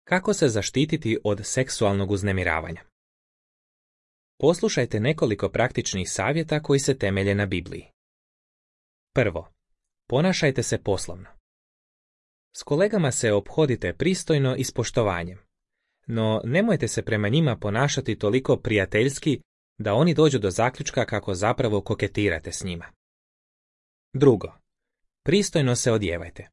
Kako se zaštititi od seksualnog uznemiravanja? Poslušajte nekoliko praktičnih savjeta koji se temelje na Bibliji. Prvo, ponašajte se poslovno. S kolegama se ophodite pristojno i s poštovanjem, no nemojte se prema njima ponašati toliko prijateljski da oni dođu do zaključka kako zapravo koketirate s njima. Drugo, pristojno se odjevajte.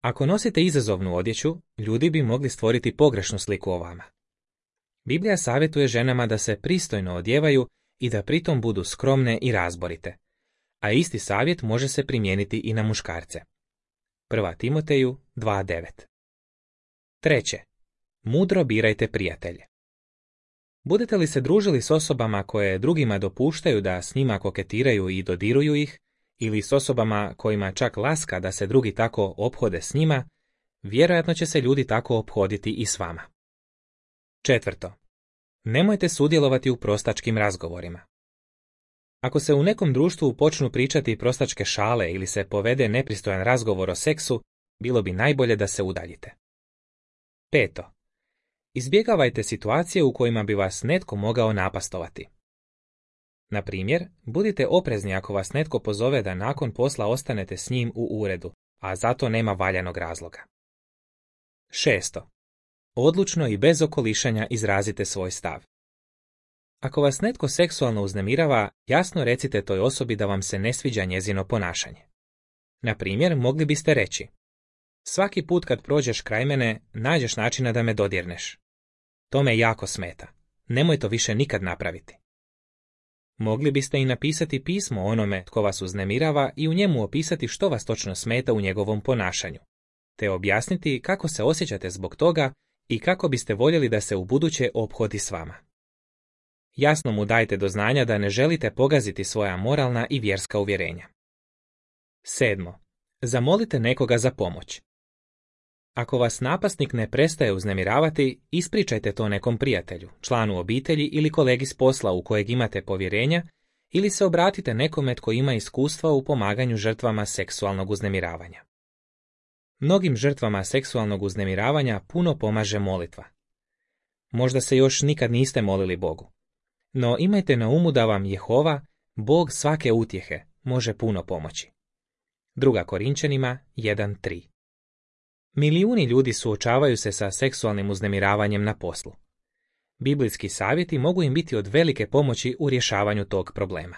Ako nosite izazovnu odjeću, ljudi bi mogli stvoriti pogrešnu sliku o vama. Biblija savjetuje ženama da se pristojno odjevaju i da pritom budu skromne i razborite, a isti savjet može se primijeniti i na muškarce. 1. Timoteju 2.9. Treće, mudro birajte prijatelje. Budete li se družili s osobama koje drugima dopuštaju da s njima koketiraju i dodiruju ih, ili s osobama kojima čak laska da se drugi tako ophode s njima, vjerojatno će se ljudi tako ophoditi i s vama. Četvrto, nemojte sudjelovati u prostačkim razgovorima. Ako se u nekom društvu počnu pričati prostačke šale ili se povede nepristojan razgovor o seksu, bilo bi najbolje da se udaljite. Peto, izbjegavajte situacije u kojima bi vas netko mogao napastovati. Na primjer, budite oprezni ako vas netko pozove da nakon posla ostanete s njim u uredu, a zato nema valjanog razloga. Šesto, odlučno i bez okolišanja izrazite svoj stav. Ako vas netko seksualno uznemirava, jasno recite toj osobi da vam se ne sviđa njezino ponašanje. Na primjer, mogli biste reći: svaki put kad prođeš kraj mene, nađeš načina da me dodirneš. To me jako smeta. Nemoj to više nikad napraviti. Mogli biste i napisati pismo onome tko vas uznemirava i u njemu opisati što vas točno smeta u njegovom ponašanju, te objasniti kako se osjećate zbog toga i kako biste voljeli da se ubuduće ophodi s vama. Jasno mu dajte do znanja da ne želite pogaziti svoja moralna i vjerska uvjerenja. Sedmo, zamolite nekoga za pomoć. Ako vas napasnik ne prestaje uznemiravati, ispričajte to nekom prijatelju, članu obitelji ili kolegi s posla u kojeg imate povjerenja, ili se obratite nekome tko ima iskustva u pomaganju žrtvama seksualnog uznemiravanja. Mnogim žrtvama seksualnog uznemiravanja puno pomaže molitva. Možda se još nikad niste molili Bogu. No imajte na umu da vam Jehova, Bog svake utjehe, može puno pomoći. 2. Korinčanima 1.3. Milijuni ljudi suočavaju se sa seksualnim uznemiravanjem na poslu. Biblijski savjeti mogu im biti od velike pomoći u rješavanju tog problema.